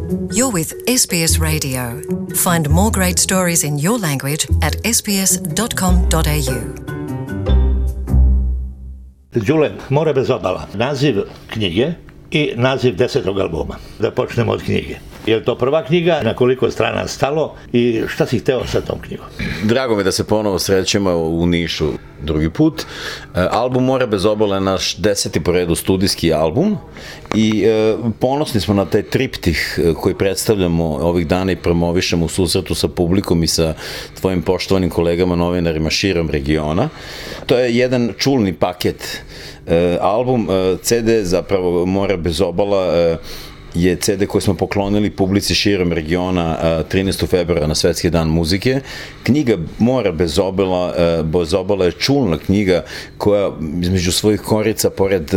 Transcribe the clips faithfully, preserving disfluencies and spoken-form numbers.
You're with S B S Radio. Find more great stories in your language at s b s dot com dot a u. Đule, More bez obala. Naziv knjige i naziv desetog albuma. Da počnemo od knjige. Je li to prva knjiga? Na koliko strana stalo? I šta si hteo sa tom knjigom? Drago mi da se ponovo srećemo u Nišu drugi put. Album More bez obala je naš deseti po redu studijski album i e, ponosni smo na taj triptih koji predstavljamo ovih dana i promovišemo u susretu sa publikom i sa tvojim poštovanim kolegama novinarima širom regiona. To je jedan čulni paket. E, album, e, ce de zapravo More bez obala e, je ce de koji smo poklonili publici širom regiona trinaestog februara na Svetski dan muzike. Knjiga More bez obala, bez obala je čulna knjiga koja između svojih korica, pored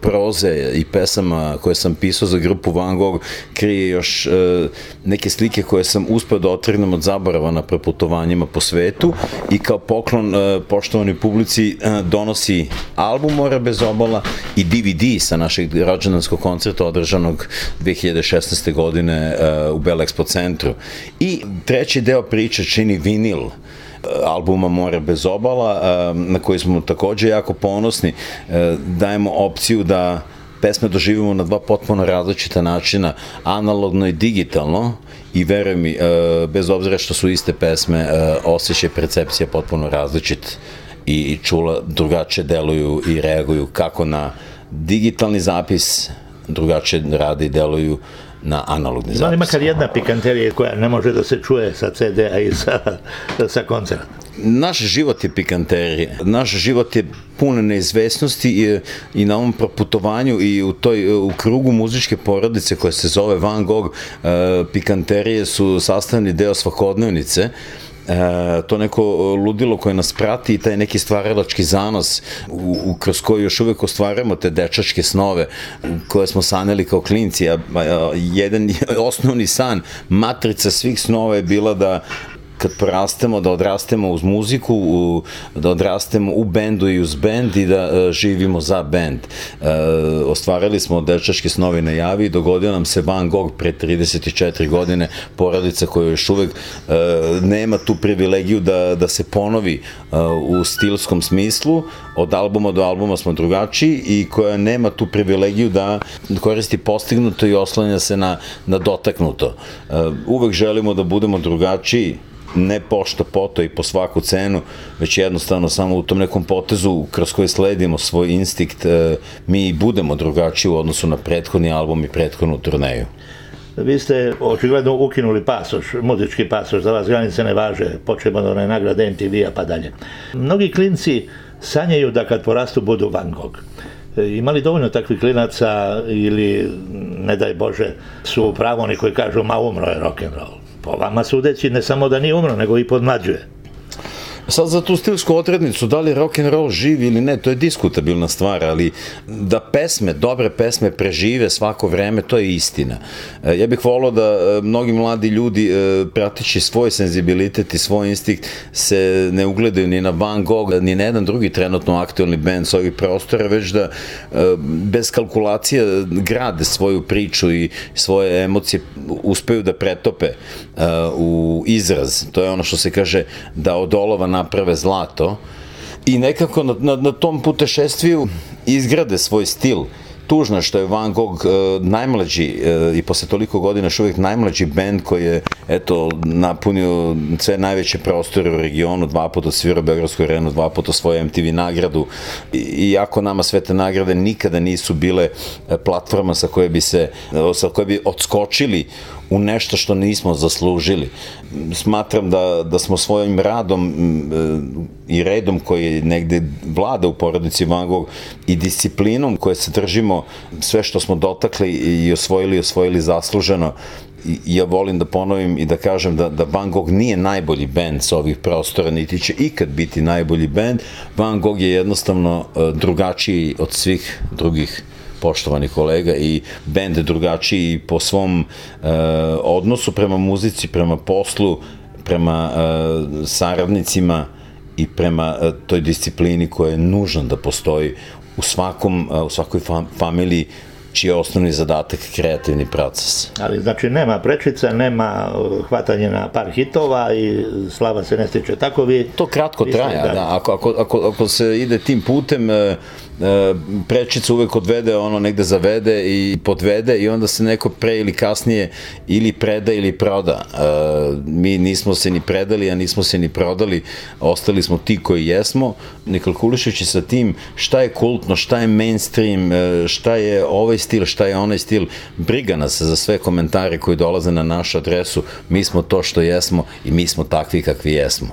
proze i pesama koje sam pisao za grupu Van Gogh, krije još neke slike koje sam uspeo da otrgnem od zaborava na preputovanjima po svetu i kao poklon poštovanoj publici donosi album More bez obala i de ve de sa našeg rođendanskog koncerta održanog dve hiljade šesnaeste. godine uh, u Belexpo centru. I treći deo priče čini vinil uh, albuma More bez obala, uh, na koji smo takođe jako ponosni. Uh, dajemo opciju da pesme doživimo na dva potpuno različita načina, analogno i digitalno, i veruj mi, uh, bez obzira što su iste pesme, uh, osjećaj percepcija potpuno različit i čula drugačije deluju i reaguju kako na digitalni zapis, drugačije rade i deluju na analogni zapis. Ima makar jedna pikanterija koja ne može da se čuje sa ce de-a i sa, sa koncerta. Naš život je pikanterija. Naš život je pun neizvesnosti i, i na ovom proputovanju i u, toj, u krugu muzičke porodice koja se zove Van Gogh, uh, pikanterije su sastavni deo svakodnevnice. E, to neko ludilo koje nas prati i taj neki stvaralački zanos u, u, kroz koji još uvek ostvarujemo te dečačke snove koje smo sanjali kao klinci. A, a, jedan osnovni san, matrica svih snova je bila da kad porastemo, da odrastemo uz muziku, u, da odrastemo u bendu i uz bend i da uh, živimo za bend. Uh, ostvarili smo dečačke snovi na javi i dogodio nam se Van Gogh pre trideset četiri godine, porodica koja još uvek uh, nema tu privilegiju da, da se ponovi uh, u stilskom smislu. Od albuma do albuma smo drugačiji i koja nema tu privilegiju da koristi postignuto i oslanja se na, na dotaknuto. Uh, uvek želimo da budemo drugačiji, ne pošto poto i po svaku cenu, već jednostavno samo u tom nekom potezu kroz koji sledimo svoj instinkt, mi budemo drugačiji u odnosu na prethodni album i prethodnu turneju. Vi ste očigledno ukinuli pasoš, muzički pasoš, za vas granice ne važe, počemo od one nagrade em te ve-a pa dalje. Mnogi klinci sanjaju da kad porastu budu Van Gogh. Ima li dovoljno takvih klinaca ili, ne daj Bože, su upravo oni koji kažu ma umro je rock'n'roll? Po vama sudeći ne samo da nije umro, nego i podmlađuje. Sad za tu stilsku odrednicu, da li rock'n'roll živi ili ne, to je diskutabilna stvar, ali da pesme, dobre pesme prežive svako vreme, to je istina. Ja bih volao da mnogi mladi ljudi, pratići svoj senzibilitet i svoj instinkt, se ne ugledaju ni na Van Gogh, ni na jedan drugi trenutno aktualni band s ovih prostora, već da bez kalkulacija grade svoju priču i svoje emocije uspeju da pretope u izraz. To je ono što se kaže da od olova naprave zlato i nekako na, na, na tom putešestviju izgrade svoj stil. Tužno je što je Van Gogh uh, najmlađi uh, i posle toliko godina još uvijek najmlađi band koji je eto, napunio sve najveće prostore u regionu, dva puta svirao Beogradsku arenu, dva puta svoju em te ve nagradu. I, iako nama sve te nagrade nikada nisu bile platforma sa koje bi se, sa koje bi odskočili u nešto što nismo zaslužili. Smatram da, da smo svojim radom e, i redom koji negde vlada u porodici Van Gogh i disciplinom koje se držimo, sve što smo dotakli i osvojili, osvojili zasluženo. I ja volim da ponovim i da kažem da, da Van Gogh nije najbolji bend sa ovih prostora, niti će ikad biti najbolji bend. Van Gogh je jednostavno e, drugačiji od svih drugih poštovani kolega i bend drugačiji po svom e, odnosu prema muzici, prema poslu, prema e, saradnicima i prema e, toj disciplini koja je nužna da postoji u svakom, e, u svakoj fam, familiji čiji je osnovni zadatak kreativni proces. Ali znači nema prečica, nema hvatanje na par hitova i slava se ne stiče. Tako vi... To kratko traje, da. da. Ako, ako, ako, ako se ide tim putem, prečica uvek odvede, ono negde zavede i podvede i onda se neko pre ili kasnije ili preda ili proda. Mi nismo se ni predali, a nismo se ni prodali, ostali smo ti koji jesmo, ne kalkulišući sa tim šta je kultno, šta je mainstream, šta je ovaj stil, šta je onaj stil. Briga nas za sve komentare koji dolaze na našu adresu, mi smo to što jesmo i mi smo takvi kakvi jesmo.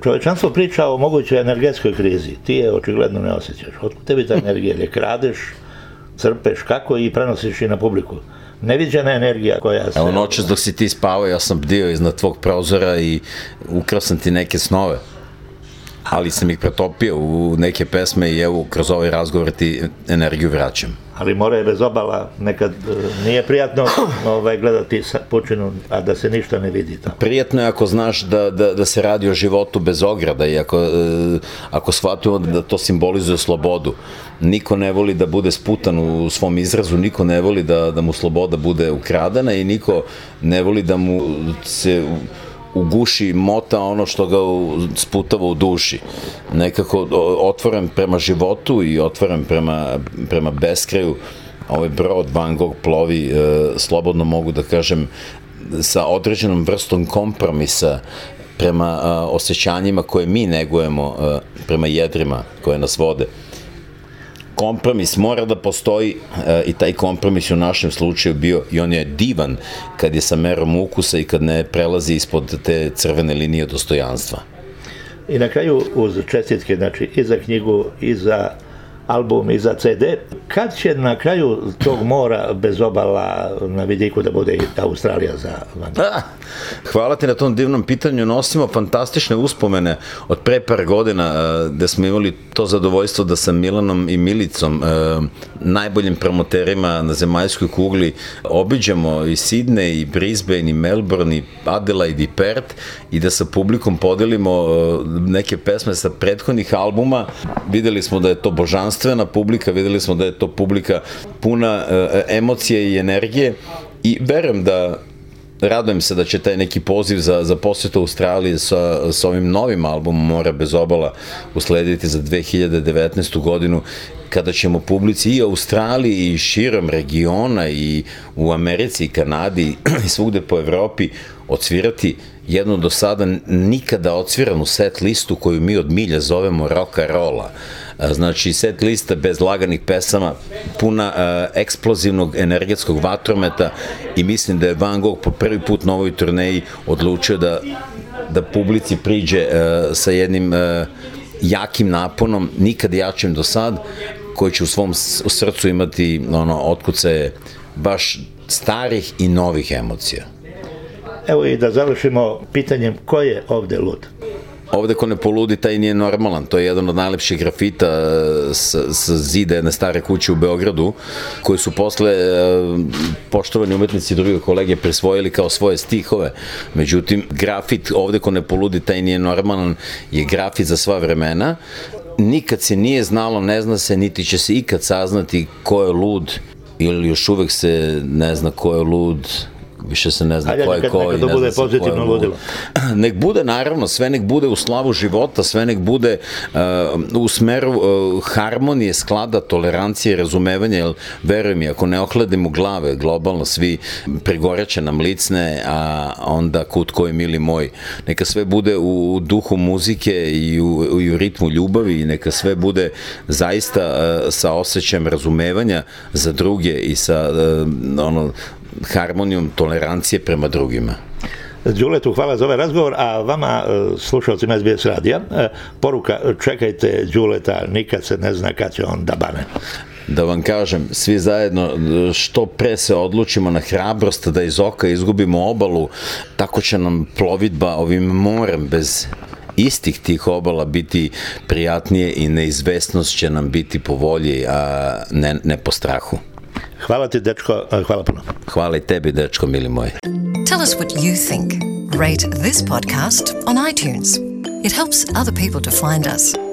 Čovečanstvo priča o mogućoj energetskoj krizi. Ti je očigledno ne osjećaš. Otkud tebi ta energija? Ili kradeš, crpeš, kako i prenosiš i na publiku? Neviđena energija koja se... Evo noćas dok si ti spavao, ja sam bdio iznad tvog prozora i ukrao sam ti neke snove. Ali sam ih pretopio u neke pesme i evo kroz ovaj razgovor ti energiju vraćam. Ali more je bez obala, nekad nije prijatno ovaj, gledati pučinu, a da se ništa ne vidi tamo. Prijatno je ako znaš da, da, da se radi o životu bez ograda i ako, ako shvatimo da to simbolizuje slobodu. Niko ne voli da bude sputan u svom izrazu, niko ne voli da, da mu sloboda bude ukradena i niko ne voli da mu se uguši mota ono što ga sputava u duši. Nekako otvoren prema životu i otvoren prema, prema beskraju. Ovaj brod Van Gogh plovi, e, slobodno mogu da kažem, sa određenom vrstom kompromisa prema a, osjećanjima koje mi negujemo, a, prema jedrima koje nas vode. Kompromis mora da postoji e, i taj kompromis u našem slučaju bio i on je divan kad je sa merom ukusa i kad ne prelazi ispod te crvene linije dostojanstva. I na kraju uz čestitke, znači i za knjigu i za album i za ce de, kad će na kraju tog mora bez obala na vidiku da bude i Australija za Van Gogh? Hvala ti na tom divnom pitanju. Nosimo fantastične uspomene od pre par godina gde smo imali to zadovoljstvo da sa Milanom i Milicom, najboljim promoterima na zemaljskoj kugli, obiđemo i Sidney, i Brisbane, i Melbourne, i Adelaide, i Perth i da sa publikom podelimo neke pesme sa prethodnih albuma. Videli smo da je to božanstvena publika, videli smo da je to publika puna emocije i energije i verujem da radujem se da će taj neki poziv za, za posjetu Australije sa, sa ovim novim albumom Mora bez obala uslediti za dve hiljade devetnaestu godinu, kada ćemo publici i Australiji i širom regiona i u Americi i Kanadi i svugde po Evropi odsvirati jednu do sada nikada odsviranu set listu koju mi od milja zovemo roka rola. Znači set lista bez laganih pesama, puna uh, eksplozivnog energetskog vatrometa i mislim da je Van Gogh po prvi put na ovoj turneji odlučio da, da publici priđe uh, sa jednim uh, jakim naponom, nikad jačim do sad, koji će u svom srcu imati ono, otkucaje baš starih i novih emocija. Evo i da završimo pitanjem ko je ovde lud? Ovde ko ne poludi, taj nije normalan. To je jedan od najlepših grafita sa, sa zida jedne stare kuće u Beogradu, koji su posle poštovani umetnici i druge kolege prisvojili kao svoje stihove. Međutim, grafit ovde ko ne poludi, taj nije normalan, je grafit za sva vremena. Nikad se nije znalo, ne zna se, niti će se ikad saznati ko je lud, ili još uvek se ne zna ko je lud, više se ne zna ko je ko i ne zna se ko je lud. Nek bude, naravno, sve nek bude u slavu života, sve nek bude uh, u smeru uh, harmonije, sklada, tolerancije, razumevanja, jer verujem mi, ako ne ohladimo glave, globalno svi pregoreće nam licne, a onda kud koji mili moj. Neka sve bude u duhu muzike i u, i u ritmu ljubavi i neka sve bude zaista uh, sa osjećajem razumevanja za druge i sa uh, ono, harmonijom tolerancije prema drugima. Đuletu, hvala za ovaj razgovor, a vama, slušalcima es be es radija, poruka, čekajte Đuleta, nikad se ne zna kad će on da bane. Da vam kažem, svi zajedno, što pre se odlučimo na hrabrost da iz oka izgubimo obalu, tako će nam plovidba ovim morem bez istih tih obala biti prijatnije i neizvesnost će nam biti po volji, a ne, ne po strahu. Hvala ti, dečko, hvala puno. Hvala i tebi, dečko, mili moj. Tell us what you think. Rate this podcast on iTunes. It helps other people to find us.